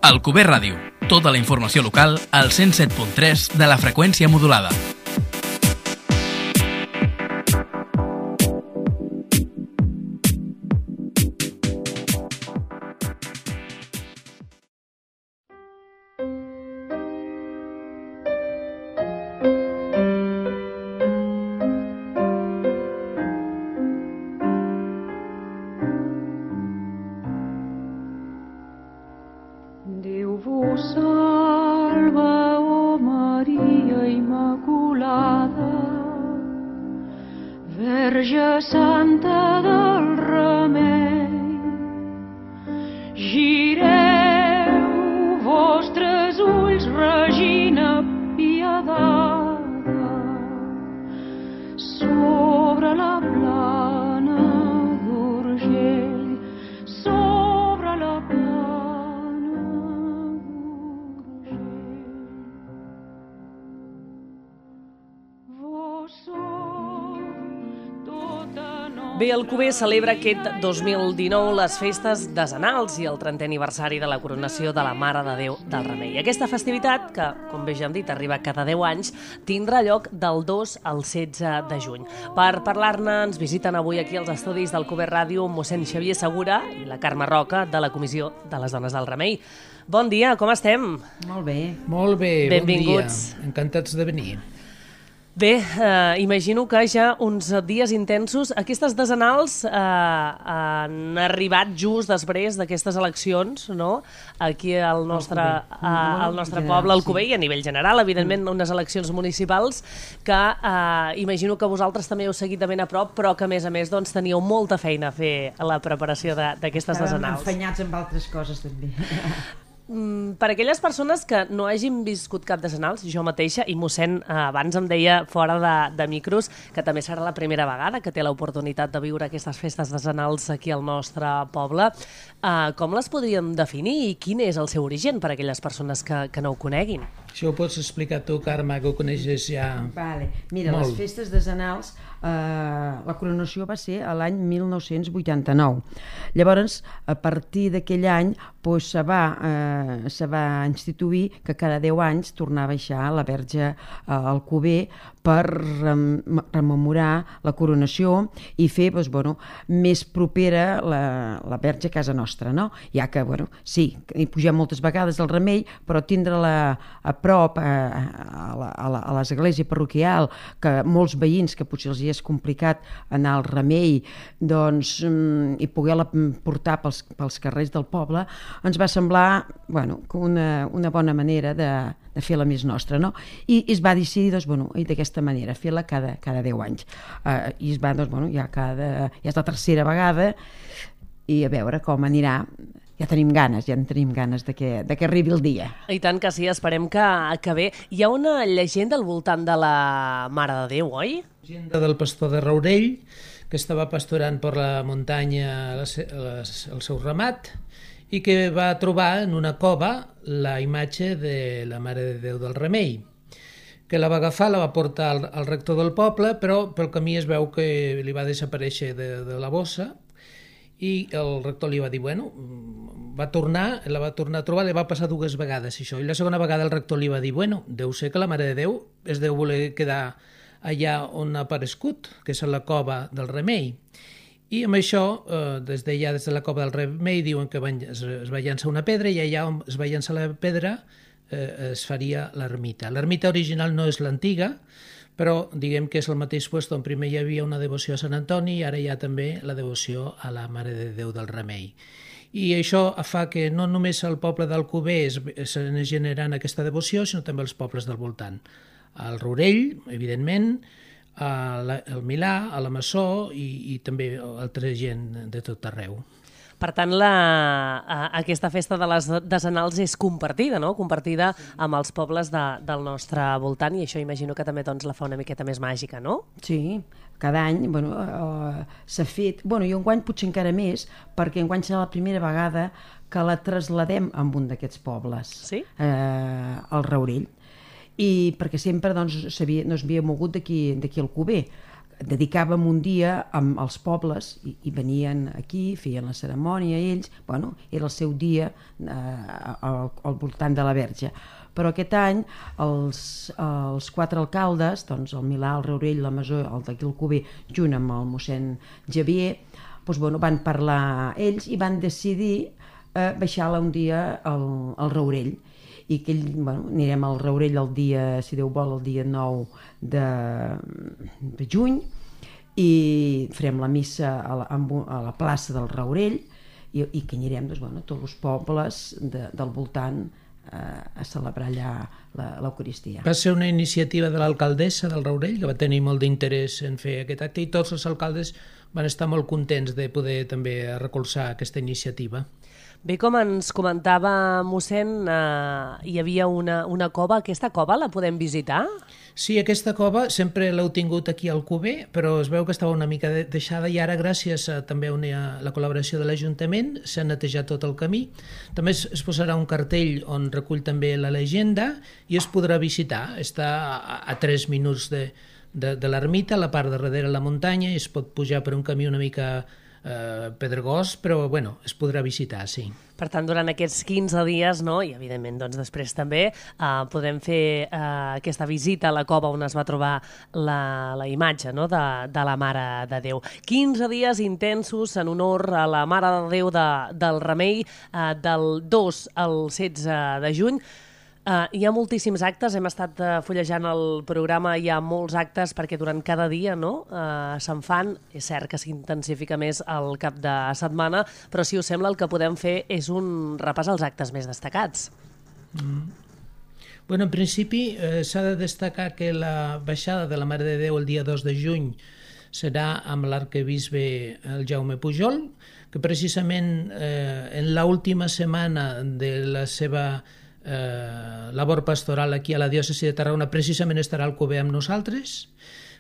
Alcover Ràdio. Tota la informació local al 107.3 de la freqüència modulada. Bé, Alcover celebra aquest 2019 les festes decenals i el 30è aniversari de la coronació de la Mare de Déu del Remei. Aquesta festivitat, que, com bé ja hem dit, arriba cada 10 anys, tindrà lloc del 2 al 16 de juny. Per parlar-ne, ens visiten avui aquí als estudis d'Alcover Ràdio mossèn Xavier Segura i la Carme Roca, de la Comissió de les Dones del Remei. Bon dia, com estem? Molt bé. Molt bé, benvinguts. Bon dia. Encantats de venir. Bé, imagino que ja uns dies intensos. Aquestes decenals han arribat just després d'aquestes eleccions, no? Aquí al nostre poble, Alcover, i a nivell general, evidentment, unes eleccions municipals que imagino que vosaltres també heu seguit de ben a prop, però que, a més, doncs, teníeu molta feina a fer a la preparació d'aquestes decenals. Estàvem enfanyats amb altres coses, també. Per aquelles persones que no hagin viscut cap decenals, jo mateixa, i mossèn abans em deia fora de micros que també serà la primera vegada que té l'oportunitat de viure aquestes festes decenals aquí al nostre poble, com les podríem definir i quin és el seu origen per a aquelles persones que no ho coneguin? Això ho pots explicar tu, Carme, que ho coneixes ja Vale. Mira, molt. Les festes decenals, la coronació va ser a l'any 1989. Llavors, a partir d'aquell any, se va instituir que cada 10 anys tornava a baixar la Verge a Alcover per rememorar la coronació i fer més propera la Verge a casa nostra, no? Ja que, sí, hi pugem moltes vegades al Remei, però tindre-la a prop a l'església parroquial, que molts veïns, que potser els hi és complicat anar al Remei, doncs, i poder-la portar pels carrers del poble, ens va semblar una bona manera de fer-la més nostra, no? I es va decidir, d'aquesta manera, fer-la cada 10 anys. I es va, ja és la tercera vegada, i a veure com anirà. Ja tenim ganes de que arribi el dia. I tant que sí, esperem que bé. Hi ha una llegenda al voltant de la Mare de Déu, oi? La llegenda del pastor de Raurell, que estava pasturant per la muntanya el seu ramat i que va trobar en una cova la imatge de la Mare de Déu del Remei, que la va agafar, la va portar al rector del poble, però pel camí es veu que li va desaparèixer de la bossa i el rector li va dir, la va tornar a trobar, li va passar 2 vegades això, i la segona vegada el rector li va dir, deu ser que la Mare de Déu es deu voler quedar allà on ha aparegut, que és a la cova del Remei. I amb això, des de la cova del Remei, diuen que es va llançar una pedra i allà on es va llançar la pedra es faria l'ermita. L'ermita original no és l'antiga, però diguem que és el mateix lloc on primer hi havia una devoció a Sant Antoni i ara hi ha també la devoció a la Mare de Déu del Remei. I això fa que no només al poble d'Alcover s'anés generant aquesta devoció, sinó també als pobles del voltant. Al Rourell, evidentment, al Milà, a la Massó i també altra gent de tot arreu. Per tant, aquesta festa de les decenals és compartida, no? Compartida amb els pobles del nostre voltant, i això imagino que també la fa una miqueta més màgica, no? Sí, cada any s'ha fet, i enguany potser encara més, perquè enguany serà la primera vegada que la trasladem a un d'aquests pobles, sí? Al Raurell, i perquè sempre no s'havia mogut d'aquí al Alcover. dedicàvem un dia als pobles i venien aquí, feien la cerimònia ells, bueno, era el seu dia al voltant de la Verge. Però aquest any els 4 alcaldes, doncs el Milà, el Raurell, la Masó, el d'aquí Alcover, junt amb el mossèn Xavier, doncs, bueno, van parlar ells i van decidir baixar-la un dia al Raurell, i que anirem al Raurell el dia, si Déu vol, el dia 9 de juny, i farem la missa a la plaça del Raurell, i que anirem tots els pobles del voltant a celebrar allà l'Eucaristia. Va ser una iniciativa de l'alcaldessa del Raurell, que va tenir molt d'interès en fer aquest acte, i tots els alcaldes van estar molt contents de poder també recolzar aquesta iniciativa. Bé, com ens comentava mossèn, hi havia una cova. Aquesta cova la podem visitar? Sí, aquesta cova sempre l'heu tingut aquí al Alcover, però es veu que estava una mica deixada i ara, gràcies també a la col·laboració de l'Ajuntament, s'ha netejat tot el camí. També es posarà un cartell on recull també la llegenda i es podrà visitar. Està a 3 minuts de l'ermita, a la part de darrere la muntanya, i es pot pujar per un camí una mica pedregós, però bueno, es podrà visitar, sí. Per tant, durant aquests 15 dies, no? I evidentment doncs, després també podem fer aquesta visita a la cova on es va trobar la imatge, no? de la Mare de Déu. 15 dies intensos en honor a la Mare de Déu del Remei, del 2 al 16 de juny. Hi ha moltíssims actes, hem estat fullejant el programa, hi ha molts actes perquè durant cada dia se'n fan. És cert que s'intensifica més el cap de setmana, però si us sembla el que podem fer és un repàs als actes més destacats. Bueno, en principi s'ha de destacar que la baixada de la Mare de Déu el dia 2 de juny serà amb l'arquebisbe el Jaume Pujol, que precisament en l'última setmana de la seva labor pastoral aquí a la diòcesi de Tarragona precisament estarà al Alcover amb nosaltres,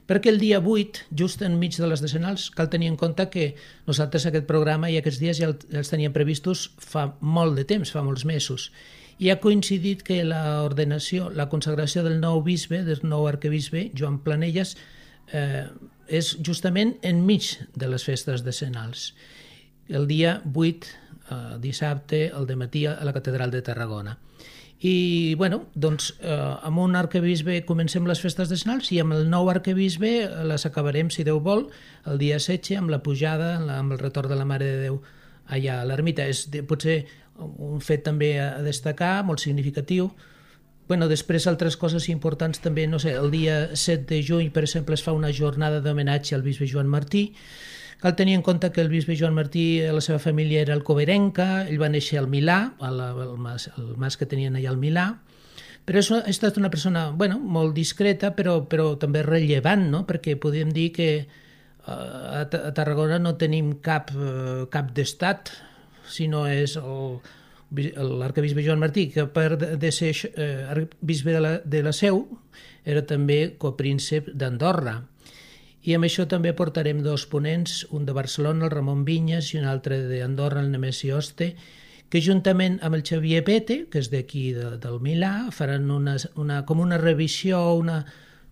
perquè el dia 8, just enmig de les decenals, cal tenir en compte que nosaltres aquest programa i aquests dies ja els teníem previstos fa molt de temps, fa molts mesos, i ha coincidit que l'ordenació, la consagració del nou bisbe, del nou arquebisbe, Joan Planelles, és justament enmig de les festes decenals, el dia 8, dissabte, al dematí, a la catedral de Tarragona. I, bueno, doncs, amb un arquebisbe comencem les festes decenals i amb el nou arquebisbe les acabarem, si Déu vol, el dia 16, amb la pujada, amb el retorn de la Mare de Déu allà a l'ermita. És potser un fet també a destacar, molt significatiu. Bueno, després altres coses importants també, no sé, el dia 7 de juny, per exemple, es fa una jornada d'homenatge al bisbe Joan Martí. Cal tenir en compte que el bisbe Joan Martí, la seva família era alcoverenca, ell va néixer al Milà, el mas que tenien allà al Milà, però ha estat una persona, bueno, molt discreta, però també rellevant, no? Perquè podem dir que a Tarragona no tenim cap d'estat, sinó és l'arquebisbe Joan Martí, que a part de ser bisbe de la Seu, era també copríncep d'Andorra. I amb això també portarem 2 ponents, un de Barcelona, el Ramon Vinyes, i un altre d'Andorra, el Nemesi Oste, que juntament amb el Xavier Pete, que és d'aquí del Milà, faran com una revisió,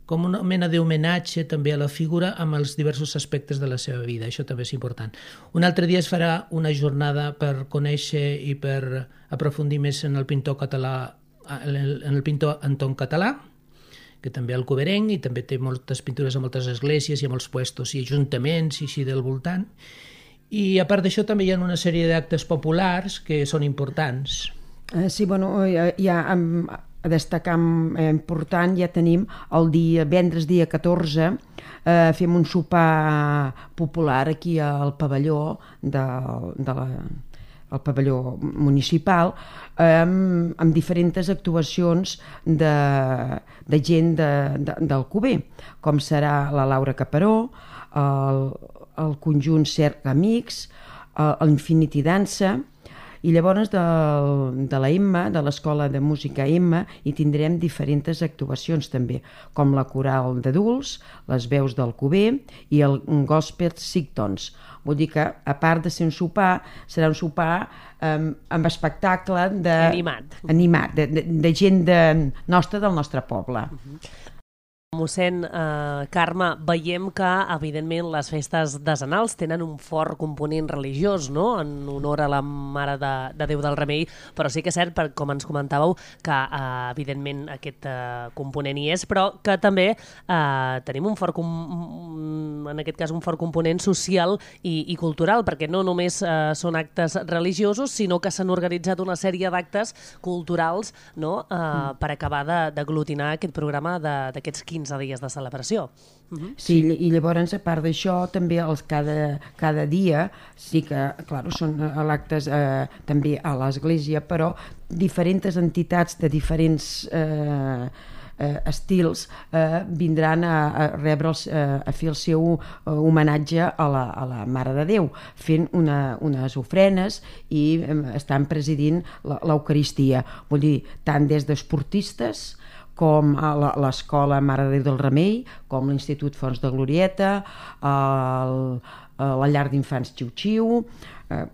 com una mena d'homenatge també a la figura amb els diversos aspectes de la seva vida. Això també és important. Un altre dia es farà una jornada per conèixer i per aprofundir més en el pintor català, en el pintor Anton Català, que també alcoverenc i també té moltes pintures a moltes esglésies i a molts puestos i ajuntaments i així del voltant. I a part d'això també hi ha una sèrie d'actes populars que són importants. Sí, bueno, ja a destacar important, ja tenim el divendres dia 14, fem un sopar popular aquí al pavelló al pavelló municipal, amb diferents actuacions de gent d'Alcover, com serà la Laura Caparó, el conjunt Cerc Amics, l'Infinity Dansa, i llavors de la Emma, de l'Escola de Música Emma, hi tindrem diferents actuacions també, com la coral d'adults, les veus d'Alcover i el gospel Sigtons. Vull dir que, a part de ser un sopar, serà un sopar amb espectacle animat, de gent nostra, del nostre poble. Mossèn Carme, veiem que, evidentment, les festes decenals tenen un fort component religiós, no?, en honor a la Mare de Déu del Remei, però sí que és cert, com ens comentàveu, que, evidentment, aquest component hi és, però que també tenim en aquest cas un fort component social i cultural, perquè no només són actes religiosos, sinó que s'han organitzat una sèrie d'actes culturals, no?, per acabar d'aglutinar aquest programa d'aquests 15 dies de celebració. Sí, i llavors, a part d'això, també cada dia, sí que, clar, són actes també a l'església, però diferents entitats de diferents estils vindran a fer el seu homenatge a la Mare de Déu, fent unes ofrenes i estan presidint l'Eucaristia. Vull dir, tant des d'esportistes com a l'Escola Mare de Déu del Remei, com l'Institut Fons de Glorieta, la Llar d'Infants Xiu-Xiu,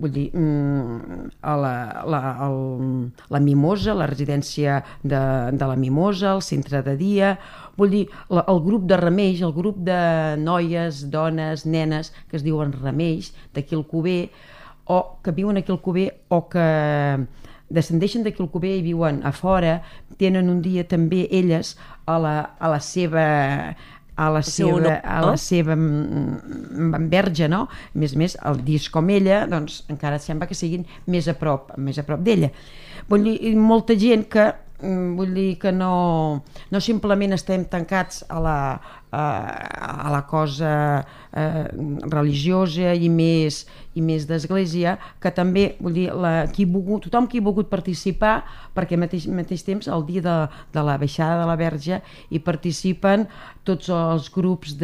vull dir, la Mimosa, la residència de la Mimosa, el centre de dia, vull dir, el grup de remeis, el grup de noies, dones, nenes, que es diuen remeis, d'aquí al Cuber, o que viuen aquí al Cuber, o que descendeixen d'aquí al Cuber i viuen a fora, tenen un dia també elles a la seva verge, no? A més, el disc com ella, doncs encara sembla que siguin més a prop d'ella. Vull dir, molta gent que no simplement estem tancats a la cosa religiosa i més d'església, que també, vull dir, tothom qui ha volgut participar, perquè al mateix temps, el dia de la baixada de la Verge, hi participen tots els grups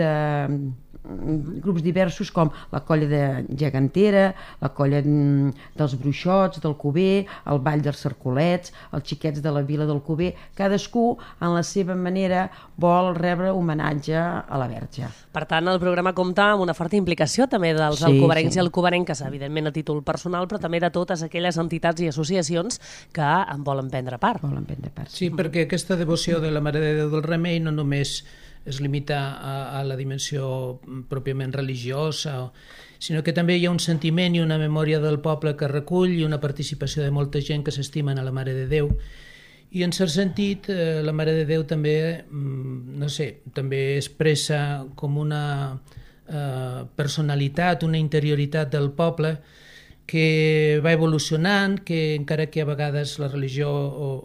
diversos, com la colla de Gegantera, la colla dels Bruixots, del Cuber, el Ball dels Cercolets, els xiquets de la Vila del Cuber. Cadascú, en la seva manera, vol rebre homenatge a la Verge. Per tant, el programa compta amb una forta implicació també dels alcobencs i alcobenques, evidentment a títol personal, però també de totes aquelles entitats i associacions que en volen prendre part. Sí, perquè aquesta devoció de la Mare de Déu del Remei no només es limita a la dimensió pròpiament religiosa, sinó que també hi ha un sentiment i una memòria del poble que recull i una participació de molta gent que s'estimen a la Mare de Déu. I en cert sentit, la Mare de Déu també, també expressa com una personalitat, una interioritat del poble que va evolucionant, que encara que a vegades la religió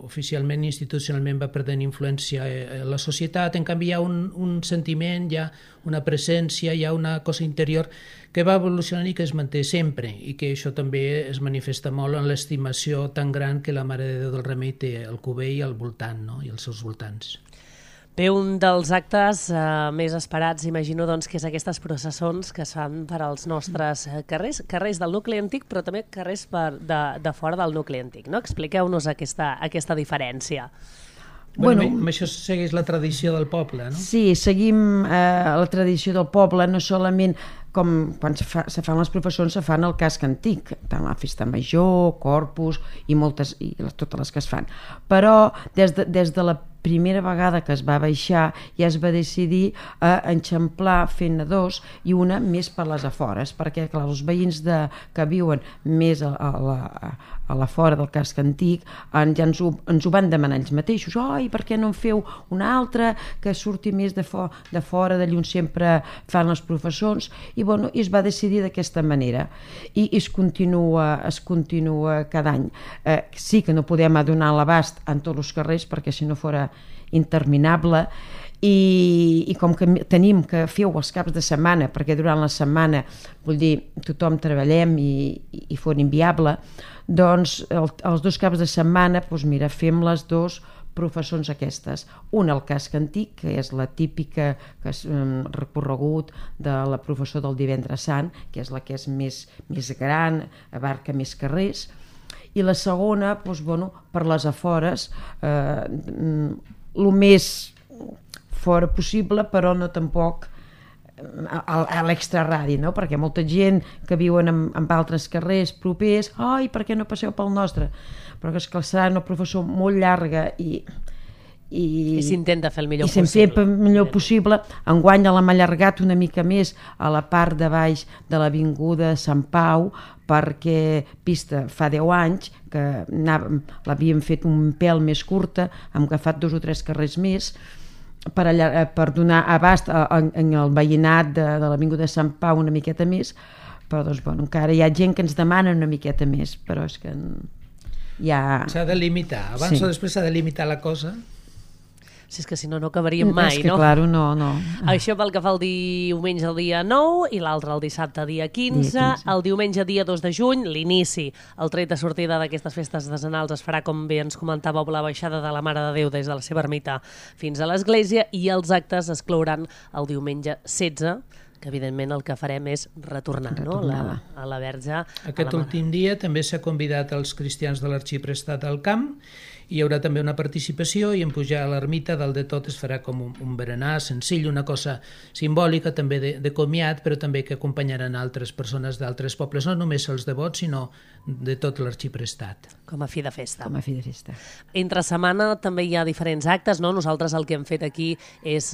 oficialment i institucionalment va perdent influència a la societat, en canvi hi ha un sentiment, hi ha una presència, hi ha una cosa interior que va evolucionant i que es manté sempre, i que això també es manifesta molt en l'estimació tan gran que la Mare de Déu del Remei té al Cuber i al voltant, no? I als seus voltants. Bé, un dels actes més esperats, imagino, doncs, que és aquestes processons que es fan per als nostres carrers del nucli antic, però també carrers de fora del nucli antic, no? Expliqueu-nos aquesta diferència. Bueno, això segueix la tradició del poble, no? Sí, seguim la tradició del poble, no solament com quan se fan les professons, se fan el casc antic, tant la festa major, Corpus i totes les que es fan. Però des de la primera vegada que es va baixar ja es va decidir enxamplar fent dos i una més per les afores, perquè clar, els veïns que viuen més a la fora del casc antic ja ens ho van demanar ells mateixos. I per què no en feu una altra que surti més de fora, d'allà on sempre fan les professons? I es va decidir d'aquesta manera i es continua cada any. Sí que no podem donar l'abast en tots els carrers perquè si no fora interminable i com que tenim que feu els caps de setmana, perquè durant la setmana vull dir, tothom treballem i fos inviable, doncs els dos caps de setmana fem les dos professons aquestes. Una al casc antic, que és la típica recorregut de la professó del Divendres Sant, que és la que és més gran, abarca més carrers, i la segona, per les afores, el més fora possible, però no tampoc a l'extraradi, no? Perquè molta gent que viuen en altres carrers propers, per què no passeu pel nostre? Però és que serà una professó molt llarga i I s'intenta fer el millor possible. I s'hem fet el millor possible. Enguany l'hem allargat una mica més a la part de baix de l'avinguda Sant Pau, perquè pista fa 10 anys que l'havíem fet un pèl més curta, hem agafat 2 o 3 carrers més per donar abast en el veïnat de l'avinguda Sant Pau una miqueta més, però doncs, bueno, encara hi ha gent que ens demana una miqueta més, però és que ja... S'ha de limitar, abans o després s'ha de limitar la cosa. Si és que si no, no acabaríem mai, és que, no? Claro, no. Això pel que fa el diumenge el dia 9 i l'altre el dissabte dia 15. El diumenge dia 2 de juny, l'inici, el tret de sortida d'aquestes festes decenals es farà, com bé ens comentàveu, la baixada de la Mare de Déu des de la seva ermita fins a l'església, i els actes es clouran el diumenge 16, que evidentment el que farem és retornar no? a la Verge. Aquest últim dia també s'ha convidat els cristians de l'Arxiprestat al camp. Hi haurà també una participació i en pujar a l'ermita dalt de tot es farà com un berenar senzill, una cosa simbòlica també de comiat, però també que acompanyaran altres persones d'altres pobles, no només els devots, sinó de tot l'Arxiprestat. Com a fi de festa. Com a fi de festa. Entre setmana també hi ha diferents actes, no? Nosaltres el que hem fet aquí és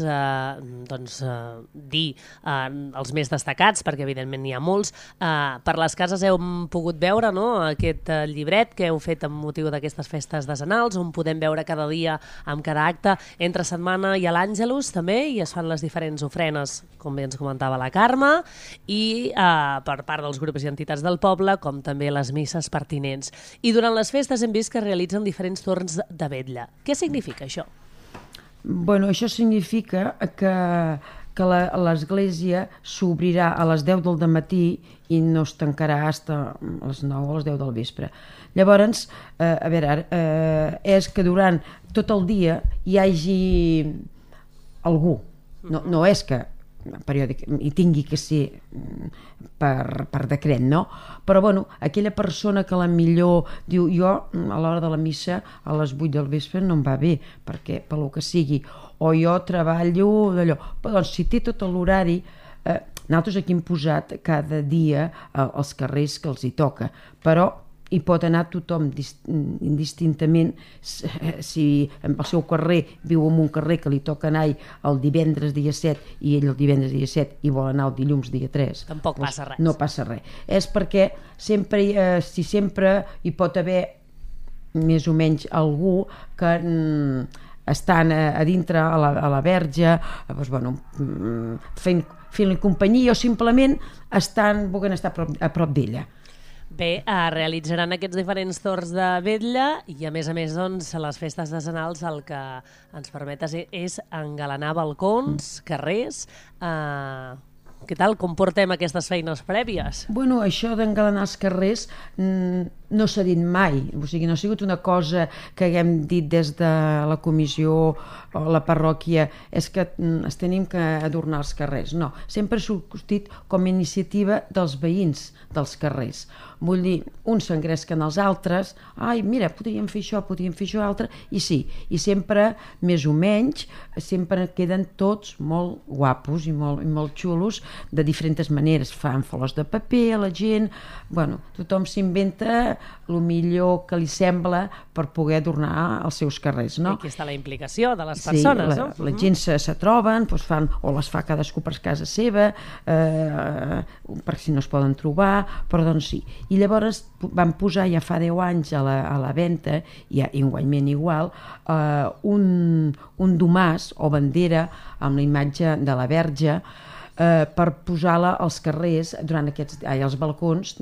dir els més destacats, perquè evidentment n'hi ha molts. Per les cases hem pogut veure aquest llibret que heu fet amb motiu d'aquestes festes decenals, on podem veure cada dia amb cada acte. Entre setmana hi ha l'Àngelus també, i es fan les diferents ofrenes, com bé ens comentava la Carme, i per part dels grups i entitats del poble, com també les misses pertinents. I durant les festes hem vist que es realitzen diferents torns de vetlla. Què significa això? Bueno, això significa que l'església s'obrirà a les 10 del matí i no es tancarà fins a les 9 o les 10 del vespre. Llavors, és que durant tot el dia hi hagi algú. No és que hi tingui que ser per decret, no? Però, bueno, aquella persona que millor diu jo a l'hora de la missa a les 8 del vespre no em va bé, perquè pel que sigui, o jo treballo d'allò. Però doncs, si té tot l'horari, nosaltres aquí hem posat cada dia els carrers que els hi toca, però hi pot anar tothom indistintament. Si el seu carrer viu en un carrer que li toca anar el divendres dia 7 i ell el divendres dia 7 i vol anar el dilluns dia 3, tampoc passa res. No passa res. És perquè sempre hi pot haver més o menys algú que estan a dintre a la Verge, fent-li companyia o simplement volent estar a prop d'ella. Bé, realitzaran aquests diferents torns de vetlla i a més doncs, les festes decenals el que ens permet és engalanar balcons, carrers. Què tal? Com portem aquestes feines prèvies? Bueno, això d'engalanar els carrers no s'ha dit mai, o sigui, no ha sigut una cosa que haguem dit des de la comissió o la parròquia, és que es tenim que adornar els carrers. No, sempre ha sortit com a iniciativa dels veïns dels carrers. Vull dir, uns s'engresquen als altres, ai, mira, podríem fer això altre, i sí, i sempre, més o menys, sempre queden tots molt guapos i molt xulos, de diferents maneres. Fan flors de paper a la gent, bueno, tothom s'inventa el millor que li sembla per poder adornar els seus carrers, no? I aquí està la implicació de les persones, no? La gent se troben, doncs o les fa cadascú per casa seva, per si no es poden trobar, però doncs sí. I llavors van posar ja fa 10 anys a la venda, i igualment igual, un domàs o bandera amb la imatge de la Verge, per posar-la als carrers, als balcons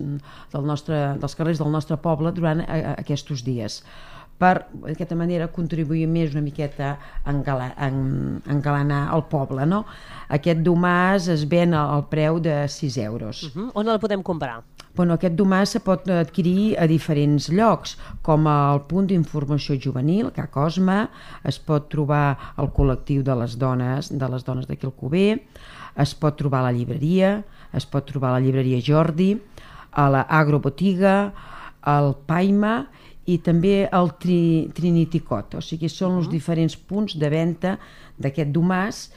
dels carrers del nostre poble durant aquests dies. Per d'aquesta manera contribuir més una miqueta a engalanar el poble, no? Aquest domàs es ven al preu de 6 euros. On el podem comprar? Bueno, aquest domàs se pot adquirir a diferents llocs, com el punt d'informació juvenil, Ca Cosme, es pot trobar al col·lectiu de les dones d'aquí Alcover, es pot trobar a la llibreria, es pot trobar a la llibreria Jordi, a la Agrobotiga, al Paima i també al Trinity Cot. O sigui, són els diferents punts de venda d'aquest domàs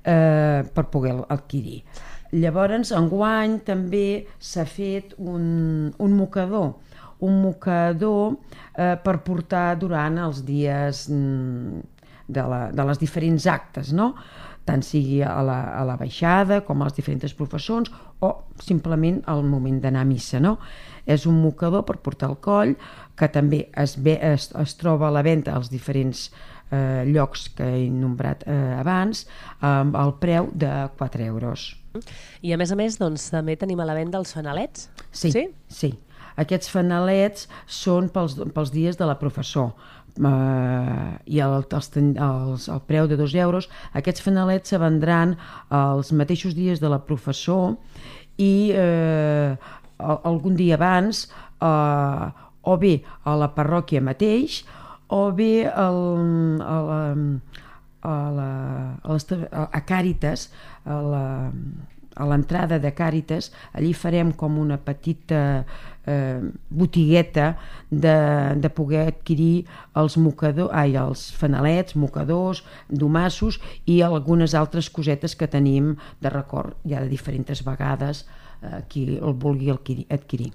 per poder adquirir. Llavors, enguany també s'ha fet un mocador per portar durant els dies de les diferents actes, no? Tant sigui a la baixada com als diferents professors o simplement al moment d'anar a missa, no? És un mocador per portar al coll que també es troba a la venda als diferents llocs que he nombrat abans al preu de 4 euros. I a més, doncs, també tenim a la venda els fanalets? Sí. Aquests fanalets són pels dies de la professor i el preu de 2 euros. Aquests fanalets se vendran els mateixos dies de la professor i algun dia abans o bé a la parròquia mateix o bé a Càritas, a l'entrada de Càritas. Allí farem com una petita botigueta de poder adquirir els fanalets, mocadors, domassos i algunes altres cosetes que tenim de record ja de diferents vegades qui el vulgui adquirir.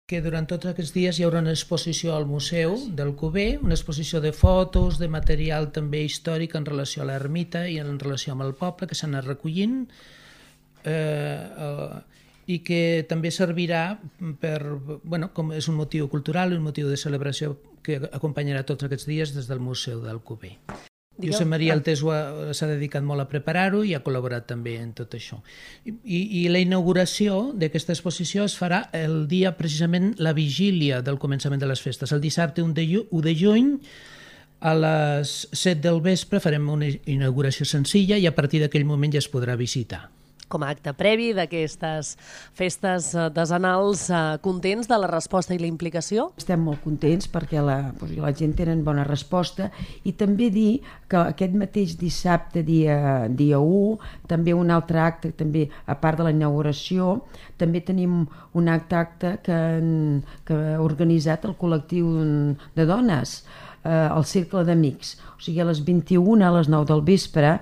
Que durant tots aquests dies hi haurà una exposició al Museu del Cuber, una exposició de fotos, de material també històric en relació a l'ermita i en relació amb el poble que s'ha anat recollint, i que també servirà com és un motiu cultural, un motiu de celebració que acompanyarà tots aquests dies des del Museu del Cuber. Josep Maria Altés s'ha dedicat molt a preparar-ho i ha col·laborat també en tot això. I la inauguració d'aquesta exposició es farà el dia, precisament, la vigília del començament de les festes. El dissabte 1 de juny, a les 7 del vespre, farem una inauguració senzilla i a partir d'aquell moment ja es podrà visitar. Com a acte previ d'aquestes festes desenals, contents de la resposta i la implicació? Estem molt contents perquè la gent tenen bona resposta i també dir que aquest mateix dissabte, dia 1, també un altre acte, també a part de la inauguració, també tenim un acte que ha organitzat el col·lectiu de dones, el Cercle d'Amics. O sigui, a les 21, a les 9 del vespre,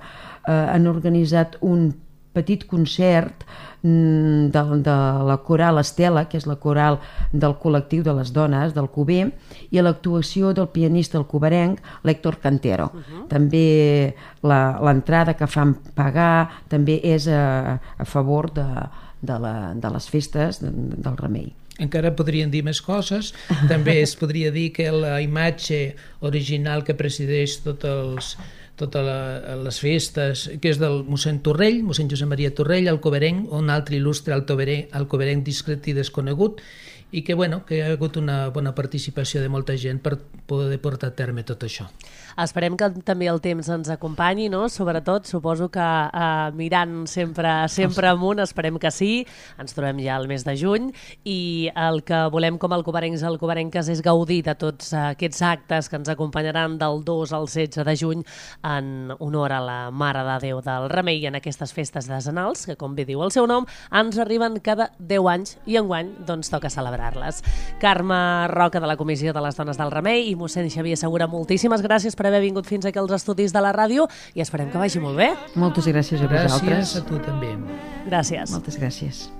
han organitzat un petit concert de la coral Estela, que és la coral del col·lectiu de les dones del Cuber, i l'actuació del pianista alcoberenc l'Héctor Cantero. També l'entrada que fan pagar també és a favor de les festes del Remei. Encara podrien dir més coses. També es podria dir que la imatge original que presideix totes les festes, que és del mossèn Torrell, mossèn Josep Maria Torrell, alcoberenc, un altre il·lustre alcoberenc discret i desconegut, i que hi ha hagut una bona participació de molta gent per poder portar a terme tot això. Esperem que també el temps ens acompanyi, no? Sobretot, suposo que mirant sempre amunt, esperem que sí. Ens trobem ja al mes de juny i el que volem com a alcoberenques és gaudir de tots aquests actes que ens acompanyaran del 2 al 16 de juny en honor a la Mare de Déu del Remei i en aquestes festes desenals, que com bé diu el seu nom, ens arriben cada 10 anys i enguany doncs toca celebrar-les. Carme Roca, de la Comissió de les Dones del Remei, i mossèn Xavier Segura, moltíssimes gràcies per haver vingut fins aquí als estudis de la ràdio i esperem que vagi molt bé. Moltes gràcies a vosaltres. Gràcies a tu també. Gràcies. Moltes gràcies.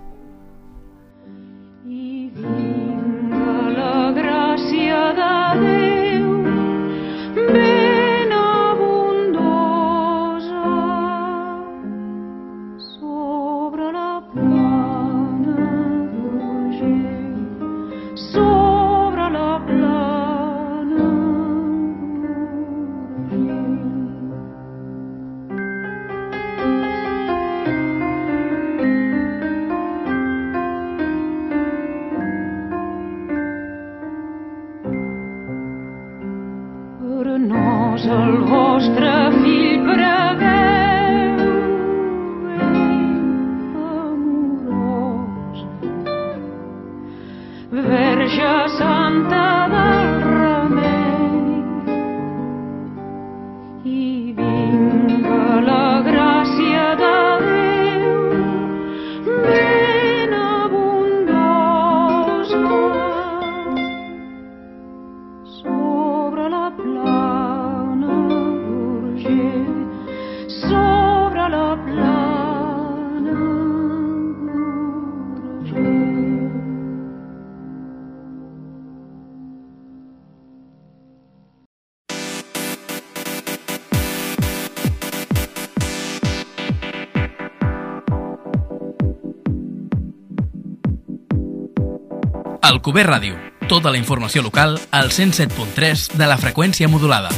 I vinga la gràcia de Déu ben abundosa sobre la plana d'Urgell, sobre la plana d'Urgell. Alcover Ràdio. Tota la informació local al 107.3 de la freqüència modulada.